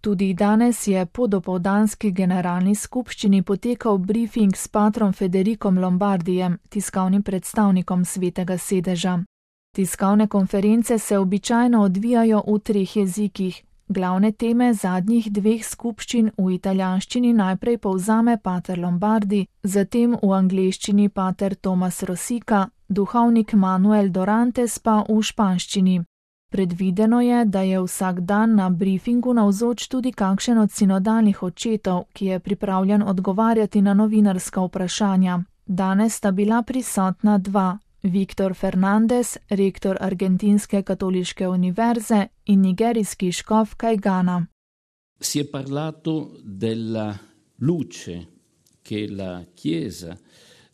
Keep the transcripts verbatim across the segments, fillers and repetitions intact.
Tudi danes je po dopoldanski generalni skupščini potekal briefing s patrom Federicom Lombardijem, tiskovnim predstavnikom Svetega sedeža. Tiskovne konference se običajno odvijajo v treh jezikih. Glavne teme zadnjih dveh skupščin v italijanščini najprej povzame pater Lombardi, zatem v angleščini pater Tomas Rosika, duhovnik Manuel Dorantes pa v španščini. Predvideno je, da je vsak dan na briefingu navzoč tudi kakšen od sinodalnih očetov, ki je pripravljen odgovarjati na novinarska vprašanja. Danes sta bila prisotna dva. Viktor Fernandez, rektor Argentinske katoliške univerze in nigerijski škof Kajgana. Si je parlato della luce che la Chiesa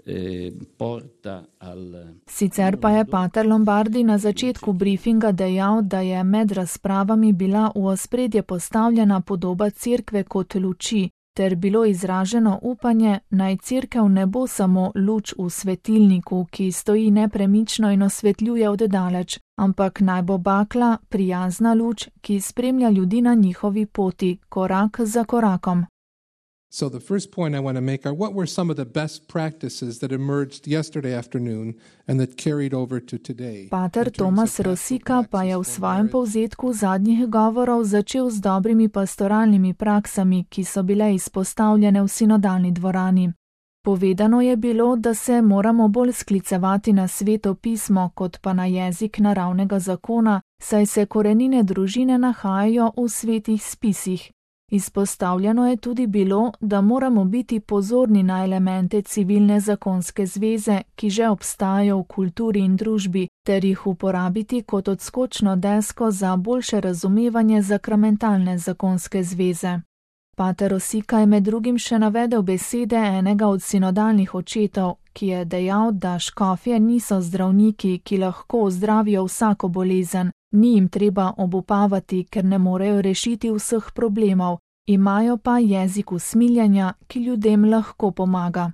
eh, porta al... Sicer pa je pater Lombardi na začetku briefinga dejal, da je med razpravami bila v ospredje postavljena podoba cerkve kot luči, ter bilo izraženo upanje, naj cerkev ne bo samo luč v svetilniku, ki stoji nepremično in osvetljuje od daleč, ampak naj bo bakla, prijazna luč, ki spremlja ljudi na njihovi poti, korak za korakom. So the first point I want to make are what were some of the best practices that emerged yesterday afternoon and that carried over to today. Pater Tomas Rosika pa je v svojem povzetku zadnjih govorov začel z dobrimi pastoralnimi praksami, ki so bile izpostavljene v sinodalni dvorani. Povedano je bilo, da se moramo bolj sklicevati na Sveto pismo, kot pa na jezik naravnega zakona, saj se korenine družine nahajajo v svetih spisih. Izpostavljeno je tudi bilo, da moramo biti pozorni na elemente civilne zakonske zveze, ki že obstajajo v kulturi in družbi, ter jih uporabiti kot odskočno desko za boljše razumevanje sakramentalne zakonske zveze. Pater Rosika je med drugim še navedel besede enega od sinodalnih očetov, ki je dejal, da škofje niso zdravniki, ki lahko ozdravijo vsako bolezen. Ni jim treba obupavati, ker ne morejo rešiti vseh problemov, imajo pa jezik usmiljenja, ki ljudem lahko pomaga.